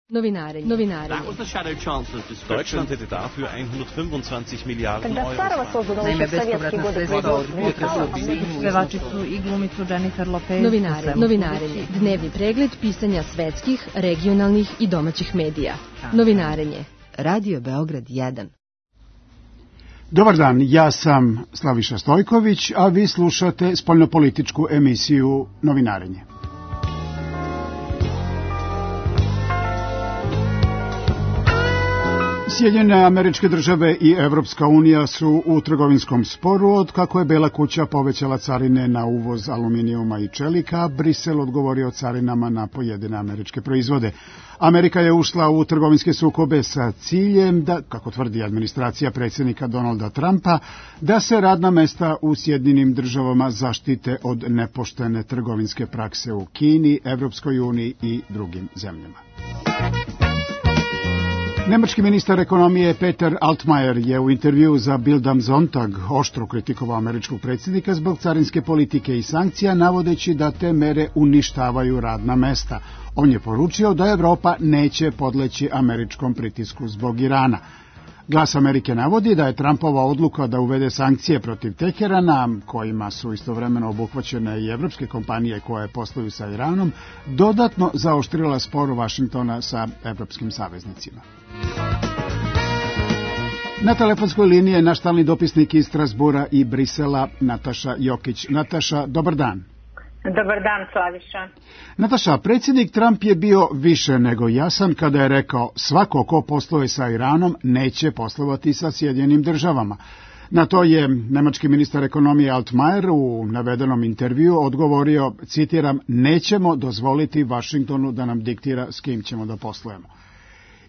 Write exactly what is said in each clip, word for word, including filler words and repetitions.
Novinare, novinare. Deutschland hätte dafür hundertfünfundzwanzig Miliarden Euro. Naime, bespovratna sredstva od potresa objedinjuju. Pevačicu i glumicu Jennifer Lopez. Novinare, novinarenje. Dnevni pregled pisanja svetskih, regionalnih i domaćih medija. Novinarenje. Radio Beograd jedan. Dobar dan, ja sam Slaviša Stojković, a vi slušate spoljnopolitičku emisiju Novinarenje. Sjedinjene Američke Države i Evropska unija su u trgovinskom sporu od kako je Bela kuća povećala carine na uvoz aluminijuma i čelika, Brisel odgovorio carinama na pojedine američke proizvode. Amerika je ušla u trgovinske sukobe sa ciljem da, kako tvrdi administracija predsjednika Donalda Trumpa, da se radna mesta u Sjedinjenim Državama zaštite od nepoštene trgovinske prakse u Kini, Evropskoj uniji i drugim zemljama. Nemački ministar ekonomije Peter Altmaier je u intervjuu za Bild am Sonntag oštro kritikovao američkog predsjednika zbog carinske politike i sankcija, navodeći da te mere uništavaju radna mesta. On je poručio da Evropa neće podleći američkom pritisku zbog Irana. Glas Amerike navodi da je Trumpova odluka da uvede sankcije protiv Teherana, kojima su istovremeno obuhvaćene i evropske kompanije koje posluju sa Iranom, dodatno zaoštrila spor Vašingtona sa evropskim saveznicima. Na telefonskoj liniji je naš stalni dopisnik iz Strasbura i Brisela, Nataša Jokić. Nataša, dobar dan. Dobar dan, Slaviša. Nataša, predsjednik Trump je bio više nego jasan kada je rekao svako ko posluje sa Iranom neće poslovati sa Sjedinjenim Državama. Na to je nemački ministar ekonomije Altmaier u navedenom intervjuu odgovorio, citiram, nećemo dozvoliti Vašingtonu da nam diktira s kim ćemo da poslujemo.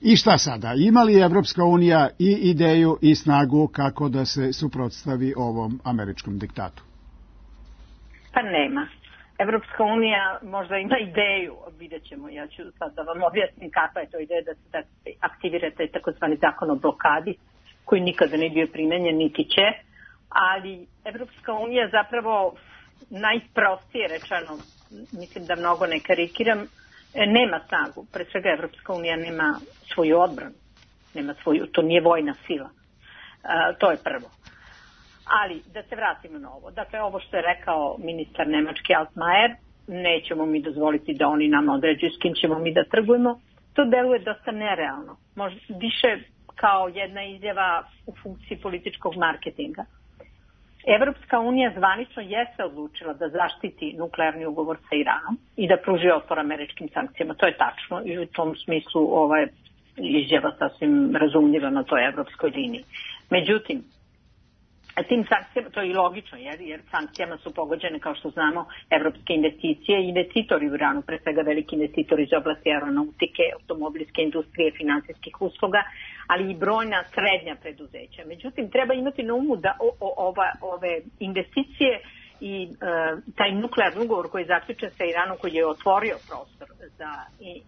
I šta sada? Ima li Evropska unija i ideju i snagu kako da se suprotstavi ovom američkom diktatu? Pa nema. Evropska unija možda ima ideju, vidjet ćemo, ja ću sad da vam objasnim kakva je to ideja da se aktivira taj takozvani zakon o blokadi, koji nikada ne bio primenjen, niti će, ali Evropska unija zapravo najprostije rečeno, mislim da mnogo ne karikiram, nema snagu. Pre svega Evropska unija nema svoju odbranu, nema svoju, to nije vojna sila, uh, to je prvo. Ali, da se vratimo na ovo. Dakle, ovo što je rekao ministar nemački Altmaier, nećemo mi dozvoliti da oni nama određuju s kim ćemo mi da trgujemo, to deluje dosta nerealno. Možda više kao jedna izjava u funkciji političkog marketinga. Evropska unija zvanično jeste odlučila da zaštiti nuklearni ugovor sa Iranom i da pruži otpor američkim sankcijama. To je tačno i u tom smislu ova izjava sasvim razumljiva na toj evropskoj liniji. Međutim, tim sankcijama, to je i logično, jer, jer sankcijama su pogođene, kao što znamo, evropske investicije i investitori u Iranu, pre svega veliki investitori iz oblasti aeronautike, automobilske industrije, finansijskih usluga, ali i brojna srednja preduzeća. Međutim, treba imati na umu da o, o, ova, ove investicije i e, taj nuklearni ugovor koji je zaključen sa Iranom, koji je otvorio prostor za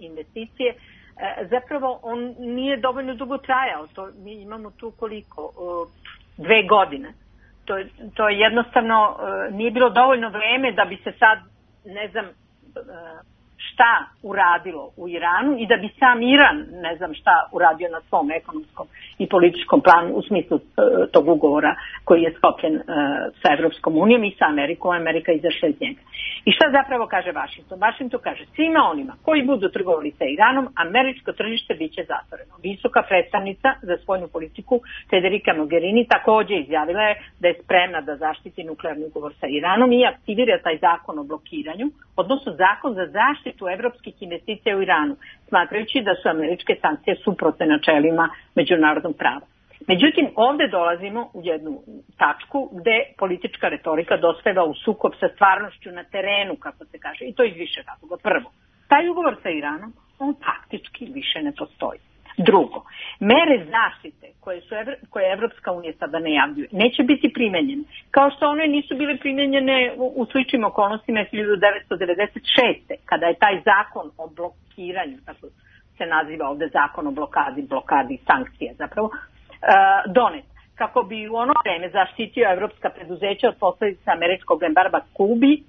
investicije, e, zapravo on nije dovoljno dugo trajao. To, mi imamo tu koliko? E, dve godine. To, to je jednostavno uh, nije bilo dovoljno vreme da bi se sad, ne znam, uh, šta uradilo u Iranu i da bi sam Iran, ne znam šta, uradio na svom ekonomskom i političkom planu u smislu uh, tog ugovora koji je sklopljen uh, sa Evropskom unijom i sa Amerikom, Amerika izašla iz njega. I šta zapravo kaže Vašington? Vašington kaže svima onima koji budu trgovali sa Iranom, američko tržište bit će zatvoreno. Visoka predstavnica za spoljnu politiku Federica Mogherini također izjavila je da je spremna da zaštiti nuklearni ugovor sa Iranom i aktivira taj zakon o blokiranju, odnosno zakon za zaštitu evropskih investicija u Iranu, smatrajući da su američke sankcije suprotne načelima međunarodnog prava. Međutim, ovdje dolazimo u jednu tačku gde politička retorika dospeva u sukob sa stvarnošću na terenu, kako se kaže, i to iz više razloga. Prvo, taj ugovor sa Iranom, on faktički više ne postoji. Drugo, mere zaštite koje, su, koje Evropska unija sada najavljuje neće biti primenjene, kao što one nisu bile primenjene u, u sličnim okolnostima hiljadu devetsto devedeset šeste. kada je taj zakon o blokiranju, tako se naziva ovdje zakon o blokadi, blokadi sankcija zapravo, donet, kako bi u ono vreme zaštitio evropska preduzeća od posljedica američkog embarga Kubi,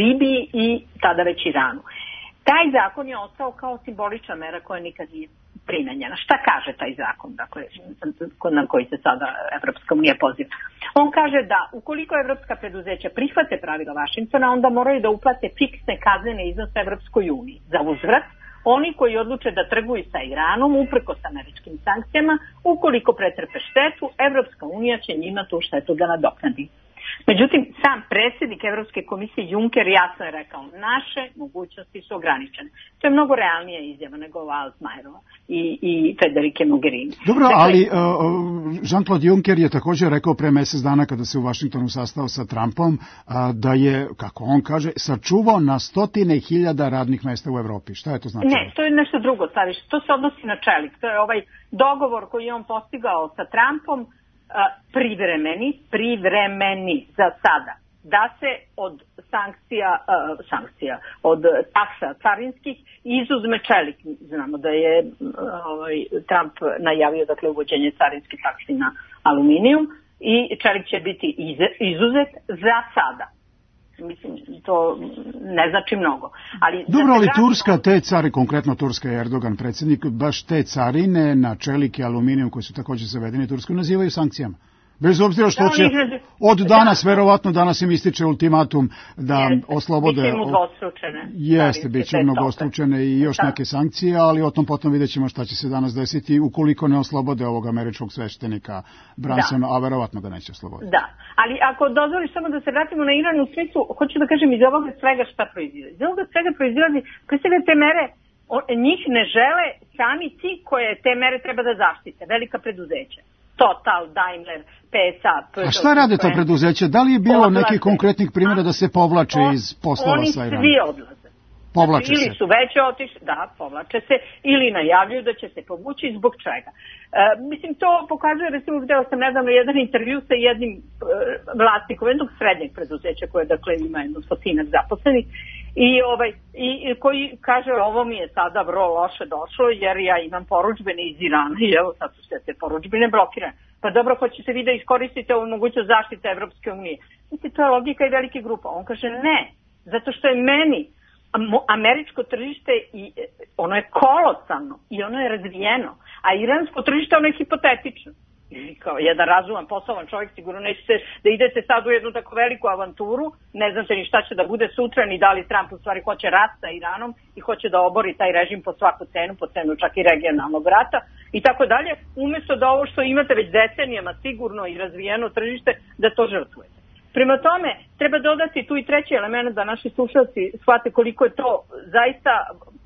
Libiji i tada već Iranu. Taj zakon je ostao kao simbolična mera koja nikad nije primenjena. Šta kaže taj zakon, dakle, na koji se sada Evropska unija poziva? On kaže da ukoliko evropska preduzeća prihvate pravila Vašingtona, onda moraju da uplate fiksne kaznene iznose Evropskoj uniji. Za uzvrat, oni koji odluče da trguju sa Iranom uprkos američkim sankcijama, ukoliko pretrpe štetu, Evropska unija će njima tu štetu da nadoknadi. Međutim, sam predsjednik Evropske komisije Juncker jasno je rekao, naše mogućnosti su ograničene. To je mnogo realnija izjava nego ova Altmajerova i, i Federike Mogherini. Dobro, dakle, ali uh, Jean-Claude Juncker je također rekao pre mjesec dana kada se u Vašingtonu sastao sa Trumpom, uh, da je, kako on kaže, sačuvao na stotine hiljada radnih mjesta u Evropi. Šta je to znači? Ne, to je nešto drugo, staviš. To se odnosi na čelik. To je ovaj dogovor koji je on postigao sa Trumpom, privremeni, privremeni za sada, da se od sankcija, uh, sankcija, od taksa carinskih izuzme čelik. Znamo da je uh, ovaj, Trump najavio, dakle, uvođenje carinskih taksi na aluminijum i čelik će biti iz, izuzet za sada. Mislim, to ne znači mnogo. Ali dobro, ali Turska, te cari, konkretno Turska i Erdogan, predsjednik, baš te carine na čelik i aluminijum koji su također zavedeni Tursku nazivaju sankcijama. Bez obzira što će od danas, da, verovatno danas im ističe ultimatum da jeste, oslobode... Biće im udvostručene. Jeste, bit će mnogostručene i još da. neke sankcije, ali o tom potom vidjet ćemo šta će se danas desiti ukoliko ne oslobode ovog američkog sveštenika Bransona, a verovatno ga neće osloboditi. Da, ali ako dozvoliš samo da se vratimo na Iran u smislu, hoću da kažem iz ovoga svega šta proizlazi. Iz ovoga svega proizlazi, pre svega te mere, o, njih ne žele sami ti koje te mere treba da zaštite, velika preduzeća. Total, Daimler, P S A. A šta rade to preduzeće? Da li je bilo odlaze. nekih konkretnih primjera da se povlače on, iz poslova sa Iranom? Oni svi odlaze. Povlače ili se. su već otišli, da, povlače se, ili najavljuju da će se povući zbog čega. E, mislim, to pokazuje, recimo, gdje sam nedavno jedan intervju sa jednim e, vlasnikom jednog srednjeg preduzeća koje, dakle, ima jedno stotinak zaposlenih i, ovaj, i, i koji kaže, ovo mi je sada vrlo loše došlo jer ja imam poručbene iz Irana i evo sad su sve te poručbene blokirane. Pa dobro, hoćete vi da iskoristite ovu mogućnost zaštite Evropske unije. Mislim, to je logika i velike grupa. On kaže ne, zato što je meni američko tržište i ono je kolosalno i ono je razvijeno, a iransko tržište ono je hipotetično. I kao jedan razuman, poslovan čovjek sigurno nećete da idete sad u jednu tako veliku avanturu, ne znate ni šta će da bude sutra, ni da li Trump u stvari hoće rat sa Iranom i hoće da obori taj režim po svaku cenu, po cenu čak i regionalnog rata i tako dalje, umjesto da ovo što imate već decenijama sigurno i razvijeno tržište, da to žrtvujete. Prema tome, treba dodati tu i treći element da naši slušalci shvate koliko je to zaista,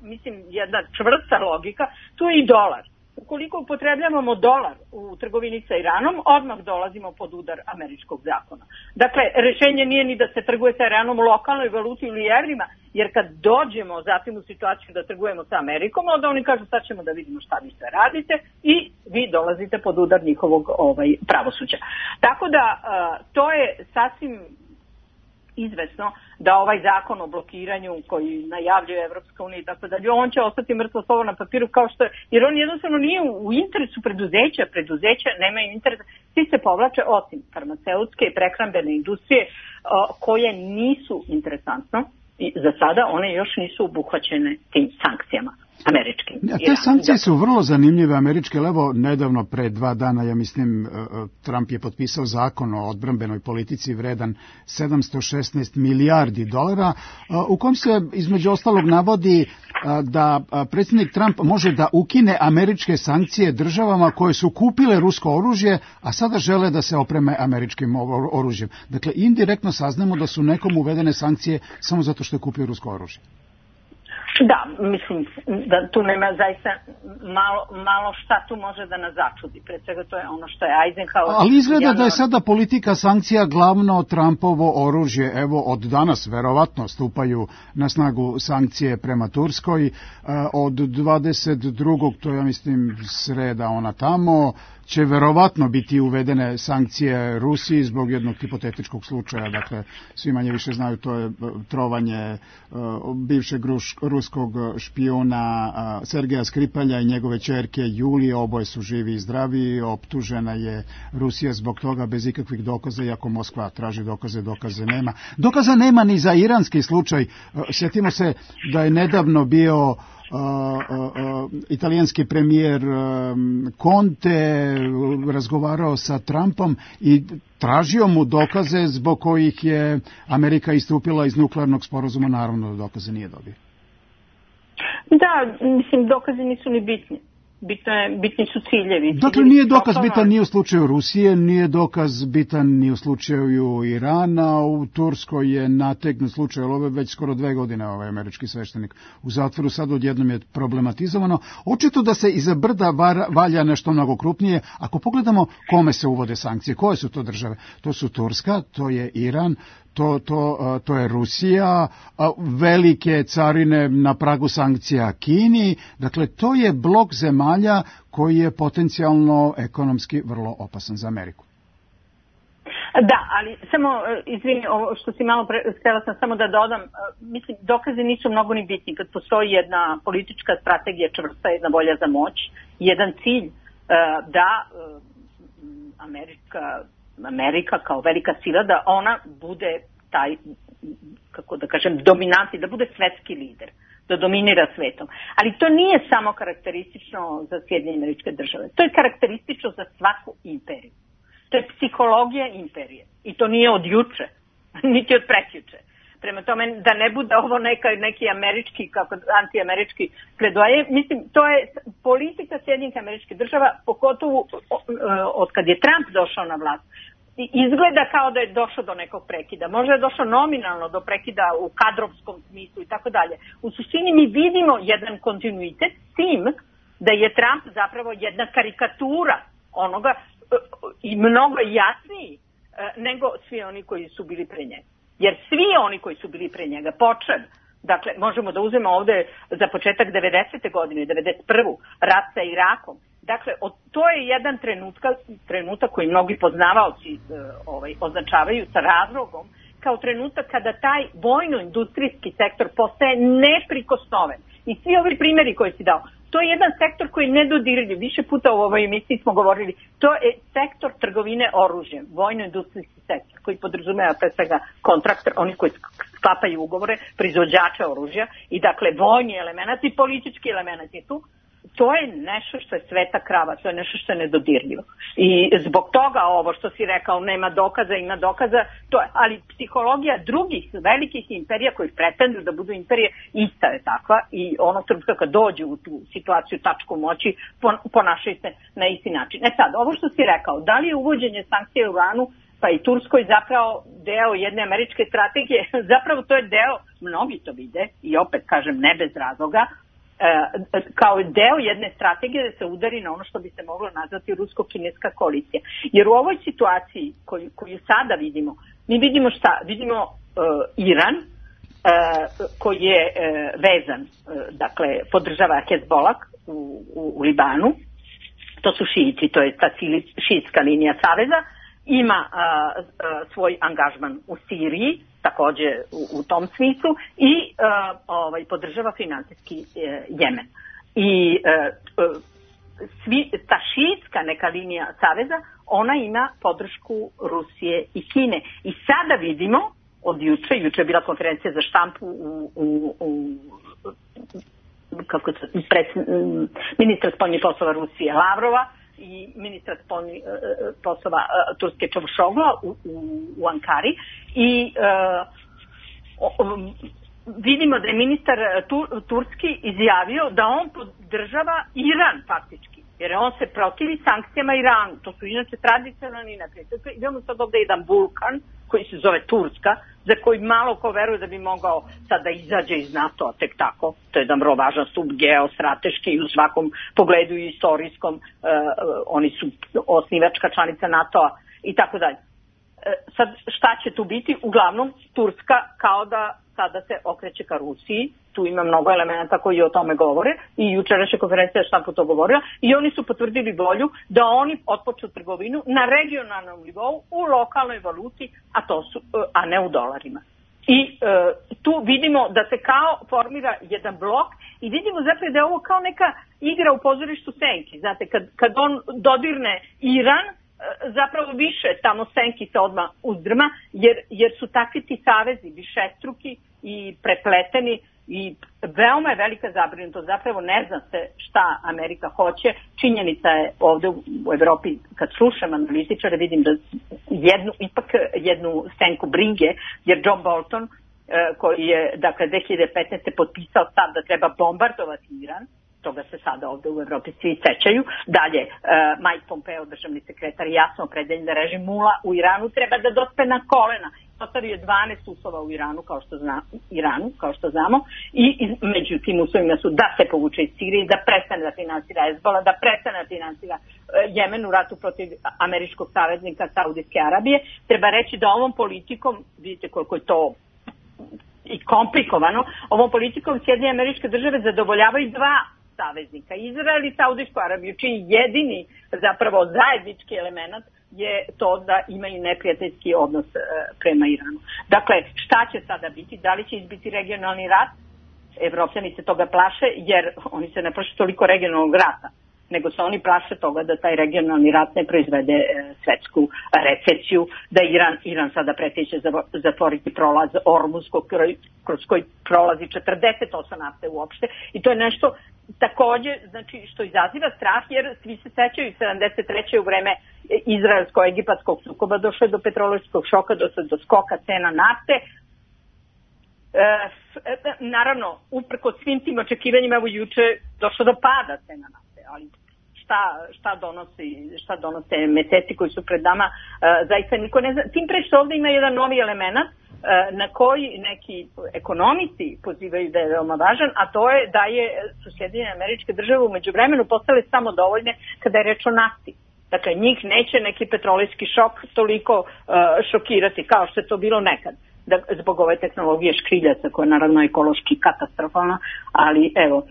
mislim, jedna čvrsta logika, tu je i dolar. Ukoliko upotrebljavamo dolar u trgovini sa Iranom, odmah dolazimo pod udar američkog zakona. Dakle, rješenje nije ni da se trguje sa Iranom u lokalnoj valuti ili evrima, jer kad dođemo zatim u situaciju da trgujemo sa Amerikom, onda oni kažu sad ćemo da vidimo šta vi sve radite i vi dolazite pod udar njihovog ovaj, pravosuđa. Tako da to je sasvim izvesno da ovaj zakon o blokiranju koji najavljuje Evropska unija i tako dalje, on će ostati mrtvo slovo na papiru kao što je, jer on jednostavno nije u interesu preduzeća, preduzeća nemaju interesa, svi se povlače osim farmaceutske i prehrambene industrije koje nisu interesantno i za sada one još nisu obuhvaćene tim sankcijama američkim. Ja, te sankcije su vrlo zanimljive američke, evo nedavno pre dva dana, ja mislim, Trump je potpisao zakon o odbrambenoj politici vredan sedamsto šesnaest milijardi dolara, u kom se između ostalog navodi da predsjednik Trump može da ukine američke sankcije državama koje su kupile rusko oružje, a sada žele da se opreme američkim oružjem. Dakle, indirektno saznamo da su nekom uvedene sankcije samo zato što je kupio rusko oružje. Da, mislim da tu nema zaista malo, malo šta tu može da nas začudi. Pre svega to je ono što je Eisenhower. Ali izgleda javno... da je sada politika sankcija glavno Trumpovo oružje. Evo od danas verovatno stupaju na snagu sankcije prema Turskoj. Od dvadeset drugog to ja mislim sreda ona tamo, će verovatno biti uvedene sankcije Rusiji zbog jednog hipotetičkog slučaja. Dakle, svi manje više znaju, to je trovanje bivšeg ruskog ruskog špijuna Sergeja Skripalja i njegove ćerke Julije, oboje su živi i zdravi, optužena je Rusija zbog toga bez ikakvih dokaza, iako Moskva traži dokaze, dokaze nema. Dokaza nema ni za iranski slučaj. Sjetimo se da je nedavno bio uh, uh, uh, italijanski premijer uh, Conte razgovarao sa Trumpom i tražio mu dokaze zbog kojih je Amerika istupila iz nuklearnog sporazuma, naravno da dokaze nije dobio. Da, mislim, dokazi nisu ni bitni. Bitno je, bitni su ciljevi. Dakle, nije dokaz bitan ni u slučaju Rusije, nije dokaz bitan ni u slučaju Irana, u Turskoj je nategnut slučaj, ali ovo je već skoro dve godine ovaj američki sveštenik u zatvoru, sad odjednom je problematizovano. Očito da se iza brda valja nešto mnogo krupnije. Ako pogledamo kome se uvode sankcije, koje su to države? To su Turska, to je Iran, To, to, to je Rusija, velike carine na pragu sankcija Kini, dakle to je blok zemalja koji je potencijalno ekonomski vrlo opasan za Ameriku. Da, ali samo, izvini, ovo što si malo pre, htjela sam samo da dodam, mislim, dokazi nisu mnogo ni bitni kad postoji jedna politička strategija čvrsta, jedna volja za moć, jedan cilj da Amerika Amerika kao velika sila, da ona bude taj, kako da kažem, dominantni, da bude svetski lider, da dominira svetom. Ali to nije samo karakteristično za Sjedinjene Američke Države. To je karakteristično za svaku imperiju. To je psihologija imperije. I to nije od juče, niti od prekjuče. Prema tome, da ne bude ovo neka, neki američki, kako antiamerički pledoaje, mislim, to je politika Sjedinjenih Američkih Država, pogotovo od kad je Trump došao na vlast. Izgleda kao da je došao do nekog prekida. Možda je došao nominalno do prekida u kadrovskom smislu i tako dalje. U suštini mi vidimo jedan kontinuitet s tim da je Trump zapravo jedna karikatura onoga i mnogo jasniji nego svi oni koji su bili pre njega. Jer svi oni koji su bili pre njega, počeli, dakle, možemo da uzmemo ovde za početak devedesete godine, devedeset prve rat sa Irakom. Dakle, to je jedan trenutka, trenutak koji mnogi poznavaoci ovaj, označavaju sa razlogom, kao trenutak kada taj vojno-industrijski sektor postaje neprikosnoven. I svi ovi primjeri koje si dao, to je jedan sektor koji je nedodirljiv. Više puta u ovoj emisiji smo govorili, to je sektor trgovine oružjem, vojno-industrijski sektor, koji podrazumeva pre svega kontraktor, oni koji sklapaju ugovore, proizvođača oružja i dakle vojni element i politički element je tu. To je nešto što je sveta krava, to je nešto što je nedodirljivo. I zbog toga ovo što si rekao, nema dokaza, ima dokaza, to je, ali psihologija drugih velikih imperija koji pretenduju da budu imperije, ista je takva i ono trenutka kad dođu u tu situaciju tačku moći, ponašaju se na isti način. E sad, ovo što si rekao, da li je uvođenje sankcije u Iranu pa i Turskoj zapravo deo jedne američke strategije, zapravo to je deo, mnogi to vide i opet kažem ne bez razloga, kao deo jedne strategije da se udari na ono što bi se moglo nazvati rusko-kineska koalicija. Jer u ovoj situaciji koju, koju sada vidimo, mi vidimo šta? Vidimo uh, Iran uh, koji je uh, vezan, uh, dakle podržava Hezbollah u, u, u Libanu, to su šiiti, to je ta šiitska linija saveza, ima uh, uh, svoj angažman u Siriji, takođe u, u tom smislu i uh, ovaj, podržava finansijski uh, Jemen. I uh, uh, svi, ta šiitska neka linija saveza, ona ima podršku Rusije i Kine. I sada vidimo, od juče, juče je bila konferencija za štampu u, u, u kako se, pred, ministra spoljnih poslova Rusije Lavrova i ministra spoljnih poslova Turske Čavuşoglu u, u, u Ankari i uh, um, vidimo da je ministar tu, Turski izjavio da on podržava Iran faktički, jer on se protivi sankcijama Iranu. To su inače tradicionalni neprijatelji. Idemo sad ovde jedan vulkan koji se zove Turska, za koji malo ko veruje da bi mogao sad da izađe iz NATO-a tek tako. To je jedan vrlo važan stup geostrateški i u svakom pogledu i istorijskom. Uh, oni su osnivačka članica NATO-a i tako dalje. Sad šta će tu biti? Uglavnom Turska kao da sada se okreće ka Rusiji. Tu ima mnogo elementa koji o tome govore i jučerašnja konferencija šta po to govorila i oni su potvrdili volju da oni otpočnu trgovinu na regionalnom nivou u lokalnoj valuti, a to su, a ne u dolarima. I e, tu vidimo da se kao formira jedan blok i vidimo zapravo da je ovo kao neka igra u pozorištu senki. Znate, kad, kad on dodirne Iran, e, zapravo više tamo senki se odmah uzdrma, jer, jer su takvi ti savezi višestruki i prepleteni i veoma je velika zabrinutost. Zapravo ne zna se šta Amerika hoće. Činjenica je ovde u Evropi, kad slušam analitičare, vidim da jednu, ipak jednu senku brige, jer John Bolton, koji je dakle dve hiljade petnaeste. potpisao stav da treba bombardovati Iran, toga se sada ovde u Evropi svi sećaju. Dalje, Mike Pompeo, državni sekretar, jasno opredeljen da režim mula u Iranu treba da dospe na kolena. Postavio je dvanaest uslova u Iranu, kao što zna, Iranu, kao što znamo, i, i među tim uslovima su da se povuče iz Sirije, da prestane da finansira Hezbola, da prestane da finansira e, Jemen u ratu protiv američkog saveznika Saudijske Arabije. Treba reći da ovom politikom, vidite koliko je to i komplikovano, ovom politikom Sjedinjene Američke Države zadovoljavaju dva saveznika, Izrael i Saudijsku Arabiju, čiji jedini zapravo zajednički element je to da imaju neprijateljski odnos e, prema Iranu. Dakle, šta će sada biti? Da li će izbiti regionalni rat? Evropljani se toga plaše, jer oni se ne plaše toliko regionalnog rata, nego se oni plaše toga da taj regionalni rat ne proizvede e, svetsku recesiju, da Iran, Iran sada preteće zatvoriti prolaz Ormuzskog, kroz koji prolazi četrdeset osam nafte uopšte, i to je nešto takođe, znači, što izaziva strah, jer svi se sećaju sedamdeset treće u vreme izraelsko-egipatskog sukoba došlo je do petrolejskog šoka, došlo do skoka cena nafte. E, naravno, uprko svim tim očekivanjima, evo juče došlo do pada cena nafte, ali šta, šta, donosi, šta donose meseci koji su pred nama, e, zaista niko ne zna. Tim pre što ovde ima jedan novi element na koji neki ekonomisti pozivaju da je veoma važan, a to je da je su Sjedinjene Američke Države u međuvremenu postale samodovoljne kada je reč o nafti. Dakle, njih neće neki petrolejski šok toliko uh, šokirati kao što je to bilo nekad. Da, zbog ove tehnologije škriljaca, koja je naravno ekološki katastrofalna, ali evo, uh,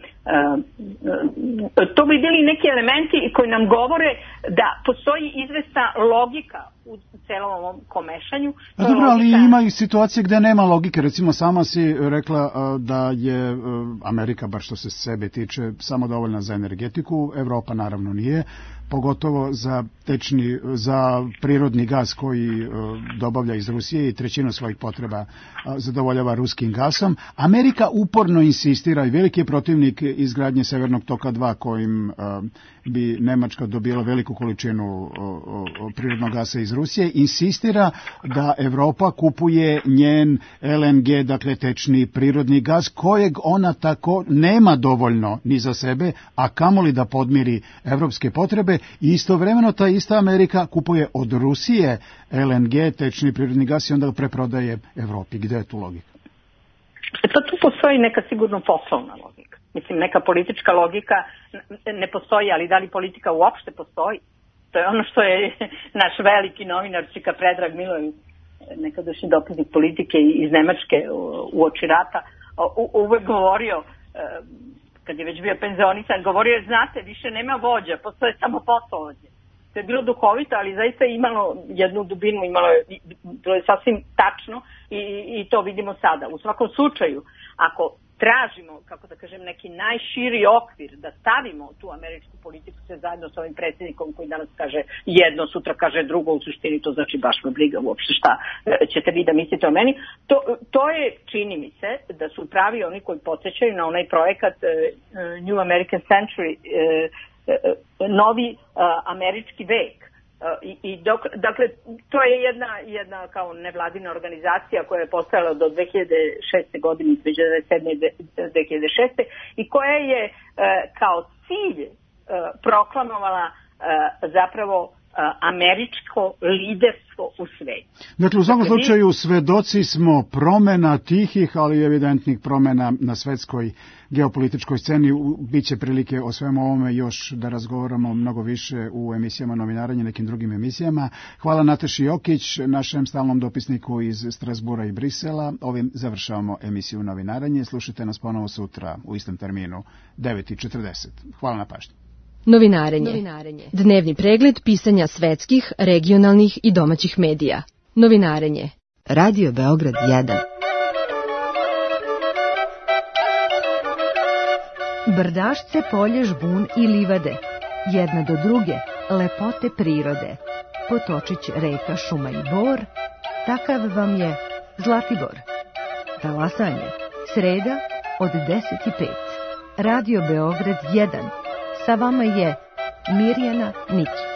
to bi bili neki elementi koji nam govore da postoji izvesna logika u celom ovom komešanju. A dobro, ali logika... ima i situacije gde nema logike. Recimo, sama si rekla uh, da je uh, Amerika, bar što se sebe tiče, samo dovoljna za energetiku, Evropa naravno nije, pogotovo za tečni, za prirodni gas koji uh, dobavlja iz Rusije i trećinu svojih potreba uh, zadovoljava ruskim gasom. Amerika uporno insistira i veliki je protivnik izgradnje Severnog toka dva, kojim uh, bi Nemačka dobila veliku količinu uh, uh, prirodnog gasa iz Rusije, insistira da Evropa kupuje njen L N G, dakle tečni prirodni gas, kojeg ona tako nema dovoljno ni za sebe, a kamoli da podmiri evropske potrebe. I istovremeno ta ista Amerika kupuje od Rusije L N G, tečni prirodni gas, i onda ga preprodaje Evropi. Gde je tu logika? To tu postoji neka sigurno poslovna logika. Mislim, neka politička logika ne postoji, ali da li politika uopšte postoji? To je ono što je naš veliki novinar Čika Predrag Milović, nekadašnji dopisnik politike iz Nemačke u oči rata, uvek govorio, kad je već bio penzionisan, govorio je, znate, više nema vođa, postoje samo poslovođe. To je bilo duhovito, ali zaista je imalo jednu dubinu, imalo je, to je sasvim tačno i, i to vidimo sada. U svakom slučaju, ako tražimo, kako da kažem, neki najširi okvir da stavimo tu američku politiku sve zajedno sa ovim predsjednikom koji danas kaže jedno, sutra kaže drugo, u suštini to znači baš me briga uopšte šta ćete vi da mislite o meni. To, to je, čini mi se, da su pravi oni koji podsjećaju na onaj projekat uh, New American Century, uh, uh, novi uh, američki vek. I, i dok, dakle, to je jedna, jedna kao nevladina organizacija koja je postojala do dve hiljade šeste godine, između devedeset sedme i dve hiljade šeste i koja je e, kao cilj e, proklamovala e, zapravo e, američko liderstvo u svetu. Dakle, u svakom slučaju svedoci smo promena tihih, ali evidentnih promena na svetskoj geopolitičkoj sceni. Biće prilike o svemu ovome još da razgovaramo mnogo više u emisijama Novinarenje, nekim drugim emisijama. Hvala Nataši Jokić, našem stalnom dopisniku iz Strasbura i Brisela. Ovim završavamo emisiju Novinarenje. Slušajte nas ponovo sutra u istom terminu, devet i četrdeset. Hvala na pažnji. Novinarenje. Novinarenje. Dnevni pregled pisanja svetskih, regionalnih i domaćih medija. Novinarenje. Radio Beograd jedan. Brdašce, polje, žbun i livade, jedna do druge, lepote prirode. Potočić, reka, šuma i bor, takav vam je Zlatibor. Talasanje, sreda od deset i pet. Radio Beograd jedan. Sa vama je Mirjana Nikić.